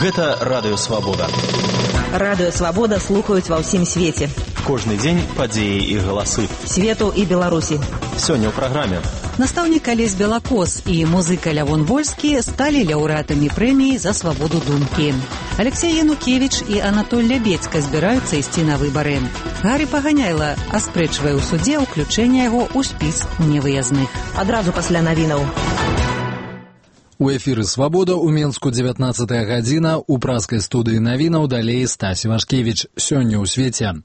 Гэта Радыё Свабода. Радыё Свабода слухаюць ва ўсім свеце. Кожны дзень падзеі і галасы. Свету і Беларусі. Сёння ў праграме. Настаўнік Алесь Белакос і музыка Лявон Вольскі сталі лаўрэатамі прэміі за свабоду думкі. Алексей Янукевіч і Анатоль Лябедзька збіраюцца ісці на выбары. Гарі Паганяйла аспрэчвае ў судзе ўключэнне яго ў спіс невыязных. Адразу пасля навінаў. У эфіры «Свабода» у Менску 19 гадзіна, у праскай студыі навінаў далей Стась Івашкевіч. Сёння ў свеце.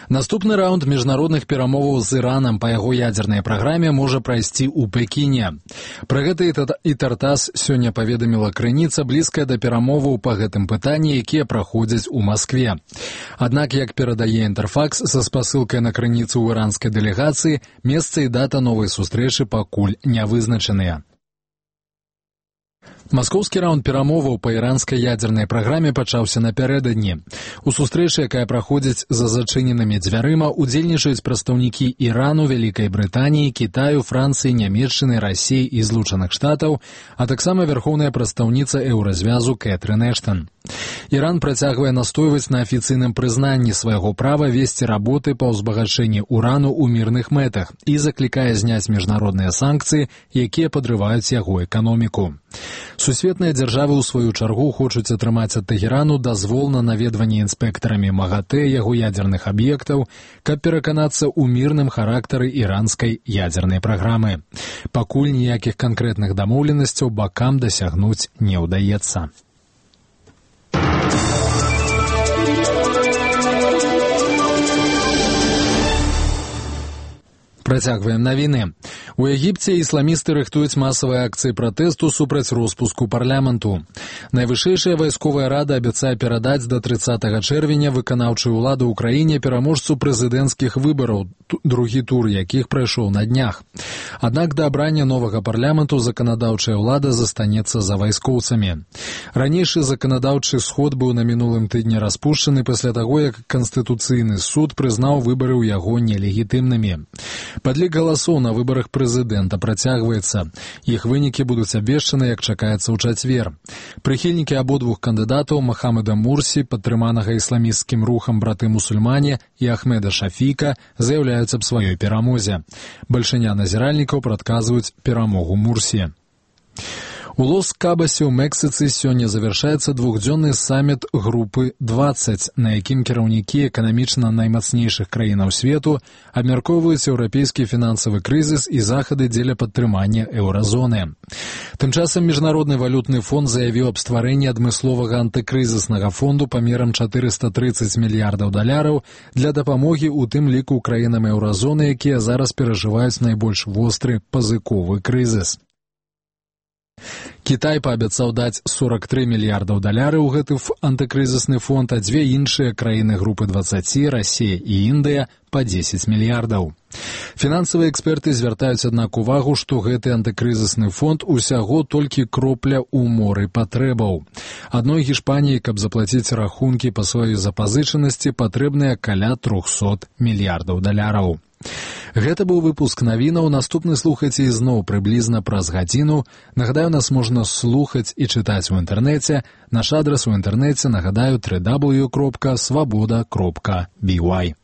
Наступны раунд міжнародных перамоваў з Іранам па яго ядзернай праграме можа прайсці ў Пекіне. Пра гэта і Тартас сёння паведаміла крыніца, блізкая да перамоваў па гэтым пытанні, якія праходзяць у Маскве. Аднак, як перадае Інтэрфакс са спасылкай на крыніцу ў іранскай дэлегацыі, месца і дата новай сустрэчы пакуль не вызначаныя. Маскоўскі раунд перамоваў па іранскай ядзернай праграме пачаўся напярэдадні. У сустрэчы, якая праходзіць за зачыненымі дзвярыма, удзельнічаюць прадстаўнікі Ірану, Вялікай Брытаніі, Кітаю, Францыі, Нямецчыны, Расіі і Злучаных Штатаў, а таксама вярхоўная прадстаўніца еўразвязу Кэтрын Эштан. Іран працягвае настойваць на афіцыйным прызнанні свайго права весці работы па ўзбагачэнні урану ў мірных мэтах і заклікае зняць міжнародныя санкцыі, якія падрываюць яго эканоміку. Сусветныя дзяржавы ў сваю чаргу хочуць атрымаць ад Тэхерану дазвол на наведванне інспектарамі МАГАТЭ яго ядзерных аб'ектаў, каб пераканацца ў мірным характары іранскай ядзернай праграмы. Пакуль ніякіх канкрэтных дамоўленасцяў бакам дасягнуць не ўдаецца. Працягваем навіны. У Егіпце ісламісты рыхтуюць масавыя акцыі пратэсту супраць роспуску парламенту. Найвышэйшая вайсковая рада абяцае перадаць да 30 чэрвеня выканаўчую ўладу ў краіне пераможцу прэзідэнцкіх выбараў, другі тур якіх прайшоў на днях. Аднак да абрання новага парламенту заканадаўчая ўлада застанецца за вайскоўцамі. Ранейшы заканадаўчы сход быў на мінулым тыдні распушчаны пасля таго, як Канстытуцыйны суд прызнаў выбары ў яго нелегітымнымі. Падлік галасоў на выбарах прэзідэнта працягваецца. Іх вынікі будуць абвешчаны, як чакаецца ў чацвер. Прыхільнікі абодвух кандыдатаў Махамеда Мурсі, падтрыманага ісламісцкім рухам браты-мусульмане, і Ахмеда Шафіка заяўляюць аб сваёй перамозе. Бальшыня назіральнікаў прадказваюць перамогу Мурсі. У Лос-Кабасе ў Мексіцы сёння завяршаецца двухдзённы саміт групы 20, на якім кіраўнікі эканамічна наймацнейшых краінаў свету абмяркоўваюць еўрапейскі фінансавы крызіс і захады дзеля падтрымання еўразоны. Тым часам Міжнародны валютны фонд заявіў аб стварэнні адмысловага антыкрызіснага фонду памерам $430 мільярдаў для дапамогі ў тым ліку краінам еўразоны, якія зараз перажываюць найбольш востры пазыковы крызіс. Кітай паабяцаў даць $43 мільярдаў ў гэты антыкрызісны фонд, а дзве іншыя краіны групы 20, Расія і Індыя, па 10 мільярдаў. Фінансавыя эксперты звяртаюць, аднак, увагу, што гэты антыкрызісны фонд усяго толькі кропля ў моры патрэбаў. Адной Гішпаніі, каб заплаціць рахункі па сваёй запазычанасці, патрэбныя каля $300 мільярдаў. Гэта быў выпуск навінаў. Наступны слухайце ізноў прыблізна праз гадзіну. Нагадаю, нас можна слухаць і чытаць у інтэрнэце. Наш адрас у інтэрнэце, нагадаю, www.swaboda.by.